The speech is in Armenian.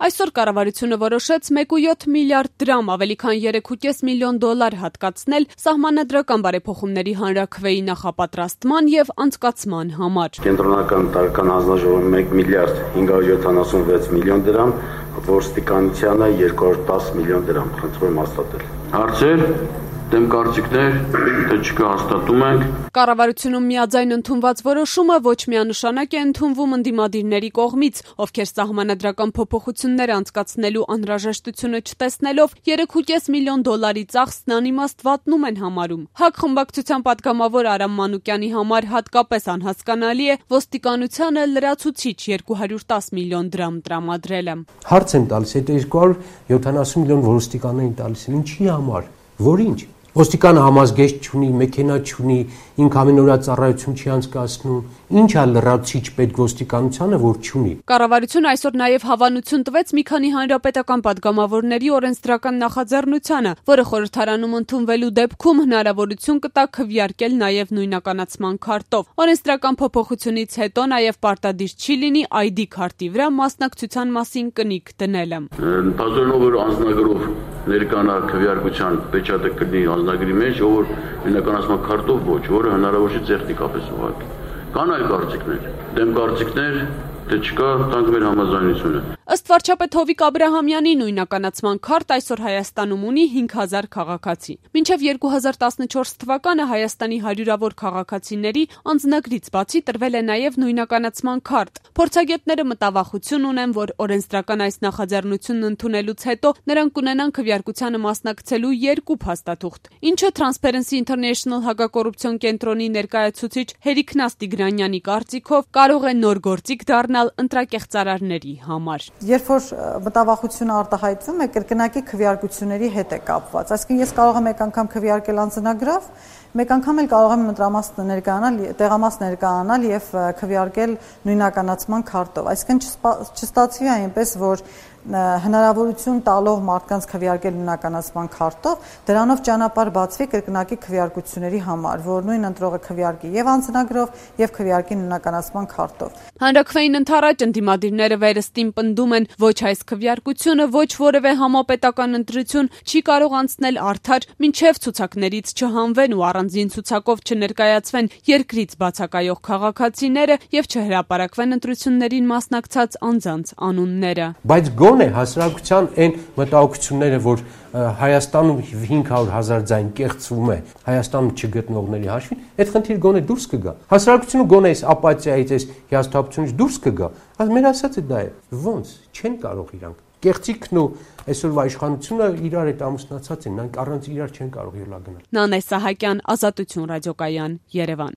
Այսօր կառավարությունը որոշեց 1.7 միլիարդ դրամ, ավելի քան 3.5 միլիոն դոլար հատկացնել սահմանադրական բարեփոխումների հանրաքվեի նախապատրաստման եւ անցկացման համար։ Կենտրոնական տարեկան հանձնաժողովը 1 միլիարդ 576 միլիոն դրամ, ոստիկանությանը 210 միլիոն դրամ, խնդրում եմ հաստատել։ Հարցեր, դեմ կարծիքներ, թե չկա հաստատում ենք։ Կառավարությունում միաձայն ընդունված որոշումը ոչ միանշանակ է ընդունվում ընդդիմադիրների կողմից, ովքեր սահմանադրական փոփոխություններ անցկացնելու անհրաժեշտությունը չտեսնելով 3.5 միլիոն դոլարի ծախսն անիմաստ վատնում են համարում։ ՀԱԿ խմբակցության պատգամավոր Արամ Մանուկյանի համար հատկապես անհասկանալի է ոստիկանությանը լրացուցիչ 210 միլիոն դրամ տրամադրելը։ Հարց եմ տալիս, այդ 270 միլիոն ոստիկաններին տալիս են ինչի համար, որինչ։ Ոստիկանը համազգեստ չունի, մեքենա չունի, ինքը ամենօրյա ծառայություն չի անցկացնում, ինչ է լրացուցիչ պետք ոստիկանությանը, որ չունի։ Կառավարությունը այսօր նաև հավանություն տվեց մի քանի հանրապետական պատգամավորների օրենսդրական նախաձեռնությանը, որը խորհրդարանում ընդունվելու դեպքում հնարավորություն կտա քվեարկել նաև նույնականացման քարտով։ Օրենսդրական փոփոխությունից հետո նաև պարտադիր չի լինի ID քարտի վրա մասնակցության մասին կնիկ դնելը։ Ընդհանրելով որ անձնագրով ներկանա քվեարկության պեչատը կլինի անձնագրի մեջ, որ նույնականացման քարտով ոչ, որը հնարավոր չէ տեխնիկապես ուղղակի։ Կան այլ կարծիքներ, դեմ կարծիքներ, թե չկա, տանք մեր համաձայնությունը։ Ըստ վարչապետ Հովիկ Աբրահամյանի նույնականացման քարտ այսօր Հայաստանում ունի 5000 քաղաքացի։ Մինչև 2014 թվականը Հայաստանի հարյուրավոր քաղաքացիների անձնագրից բացի տրվել է նաև նույնականացման քարտ։ Փորձագետները մտավախություն ունեն, որ օրենսդրական այս նախաձեռնությունն ընդունելուց հետո նրանք կունենան քվեարկությանը մասնակցելու 2 փաստաթուղթ, ինչը Transparency International հակակոռուպցիոն կենտրոնի ներկայացուցիչ Հերիքնաս Տիգրանյանի կարծիքով կարող է նոր գործիք դառնալ ընտրակեղծարարների համար։ Երբ որ մտավախությունը արտահայտվում է, կրկնակի քվեարկությունների հետ է կապված։ Այսինքն ես կարող եմ մեկ անգամ քվեարկել անձնագրով, մեկ անգամ էլ կարող եմ ընտրամաս ներկայանալ, տեղամաս ներկայանալ եւ քվեարկել նույնականացման քարտով։ Այսինքն չստացվի այնպես, որ հնարավորություն տալով մարդկանց քվեարկել նույնականացման քարտով, դրանով ճանապարհ բացվի կրկնակի քվեարկությունների համար, որ նույն ընտրողը քվեարկի եւ անձնագրով եւ քվեարկի նույնականացման քարտով։ Հանրաքվեին ընդառաջ ընդդիմադիրները վերստին պնդում են, ոչ այս քվեարկությունը, ոչ որևէ համապետական ընտրություն չի կարող անցնել արդար, մինչև ցուցակներից չհանվեն ու առանձին ցուցակով չներկայացվեն երկրից բացակայող քաղաքացիները եւ չհրապարակվեն ընտրություններին մասնակցած անձանց անունները։ Բայց գոնե հասարակության այն մտահոգությունները, որ Հայաստանում 500,000 ձայն կեղծվում է Հայաստանում չգտնողների հաշվին, այդ խնդիրը գոնե դուրս կգա։ Հասարակությունը գոնե այս ապաթիայից, այս հիասթափությունից դուրս կգա։ Մեր ասածը դա է։ Ոնց չեն կարող իրանք։ Կեղծիքն ու այսօրվա իշխանությունը իրար հետ ամուսնացած են, նրանք առանց իրար չեն կարող ելա գնալ։ Նանե Սահակյան, Ազատություն ռադիոկայան, Երևան։